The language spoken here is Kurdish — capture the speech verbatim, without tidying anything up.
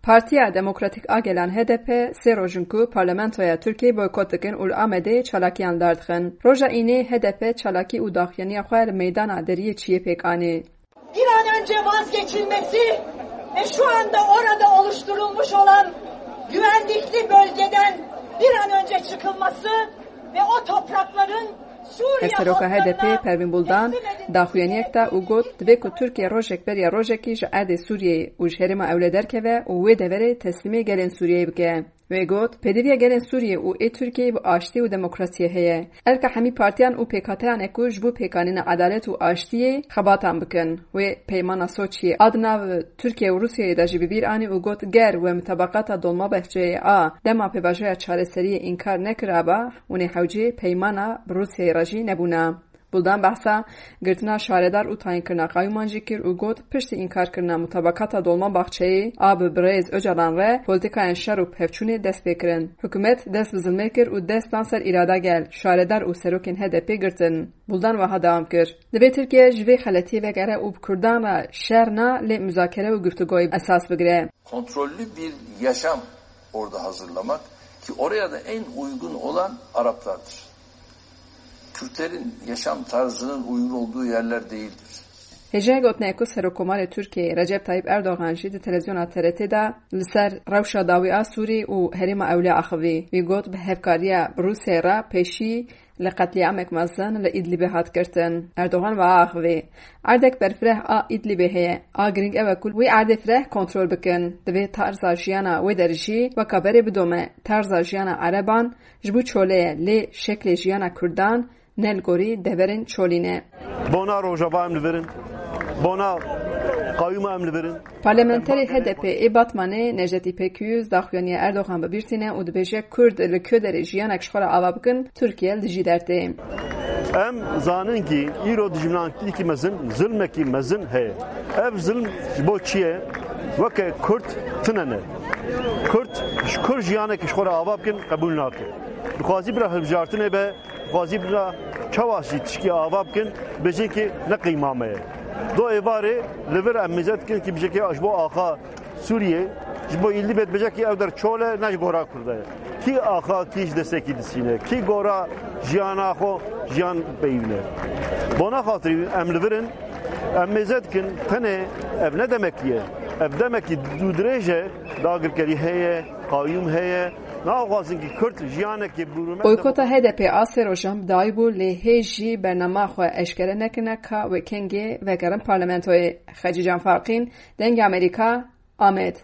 Partiya Demokratîk a Gelan H D P sê roj in ku parlamentoya Tirkiyeyê boykot dikin û li Amedê çalakiyan li dar dixin. Roja Înê H D P çalakî û daxuyaniya xwe li meydana deriyê çiyê pêk anî. Bir an önce vazgeçilmesi ve şu anda orada oluşturulmuş olan güvenlikli bölgeden bir an önce çıkılması ve o toprakların Suriye Hevseroka halklarına H D P Pervîn Buldan teslim edilmesi daxuyaniyek da û got, divê ku Tirkiye rojek beriya rojekî ji erdê Sûriyeyê û ji herêma Ewlê derkeve û wê deverê teslîmê gelên Sûriyeyê bike. Wê got, pêdiviya gelên Sûriyê û ê Tirkiyeyê bi aştî û demokrasiyê heye. Erka hemî partiyan û pêkhateyan e ku ji bo pêkanîna edalet û aştiyê xebatan bikin. Wê peymana Soçiyê a di nav Tirkiye û Rûsyayê de jî bi bîr anî û got, ger we mutabaqata Dolmabahçeyê a dema pêvajoya çareseriyê înkar nekiraba, hûn ê hewcê peymana bi Rûsyayê re jî nebûna. Buldan behsa girtina şaredar û tayînkirina qayûman jî kir û got, piştî înkarkirina mutabakata Dolmabahçeyê a bi birêz Ocalan re, polîtîkayên şer û pevçûnê dest pê kirin. Hikûmet dest bi zilmê kir û dest dan ser îrada gel, şaredar û serokên H D P girtin. Buldan wiha dewam kir, divê Tirkiye ji vê xeletiyê vegere û bi Kurdan re şer na, lê muzakere û guftûgoyê esas bigire. Kontrollü bir yaşam orada hazırlamak ki oraya da en uygun olan Araplardır. Kürtlerin yaşam tarzının uygun olduğu yerler değildir. Hêjayê gotinê ku Serokkomarê Tirkiyeyê Recep Tayyip Erdogan jî di televizyona T R T de li ser rewşa dawî a Sûrî û herêma Ewlê axivî. Wî got, bi hevkariya bi Rûsyayê re pêşî li qetlîamek mezin li Îdlibê hat girtin. Erdogan ve axivî. Erdek berfireh a Îdlibê heye. A girîng ew e ku wî erdê fireh kontrol bikin. Divê tarza jiyana wê derê jî weka berê bidome. Tarza jiyana Ereban ji bo çolê ye, lê şeklê jiyana Kurdan ne li gorî deverên çolî ne. Bona Rojava em li vir in. Bona qayûma em li vir in. Parlamenterê H D P ê Batmanê Necdet İpek Yüz daxuyaniya Erdogan bi bîr tîne û dibêje, Kurd li ku derê jiyanek ji xwe re ava bikin, Tirkiye li dijî der tê. Em zanin ki îro dijminakî mezin, zilmekî mezin heye. Ev zilm ji bo çi ye? Weke Kurd tune ne. Kurd ji Kurd jiyanekî ji xwe re ava bikin, qebûl nake. Dixwazî bira hilbijartinê be, dixwazî bira çawa jî tişkî ava bikin, bêjin ki ne qeyma me ye. Do êvarê li vir em mêze dikin ki bêje ki ji bo axa Sûriyê, ji bo Îdlibê dibêje ki ew der çol e, ne ji gora Kurda ye. Kî axa, kî ji destekî disîne, kî gora jiyana xwe jiyan peyivîne. Bona xatirî em li vir in, em mêze dikin, tenê ev ne demekî ye. Ev demekî dûdirêj e, dagirkerî heye, qayûm heye, naxwazin ki Kurd jiyanekê bi rûmet Boykota H D P a sê rojan bi dawî bû, lê hê jî bernama xwe eşkere nekirine ka wê kengê vegerin parlamentoyê. Xecîcan Farqîn, Dengê Amerîka, Amed.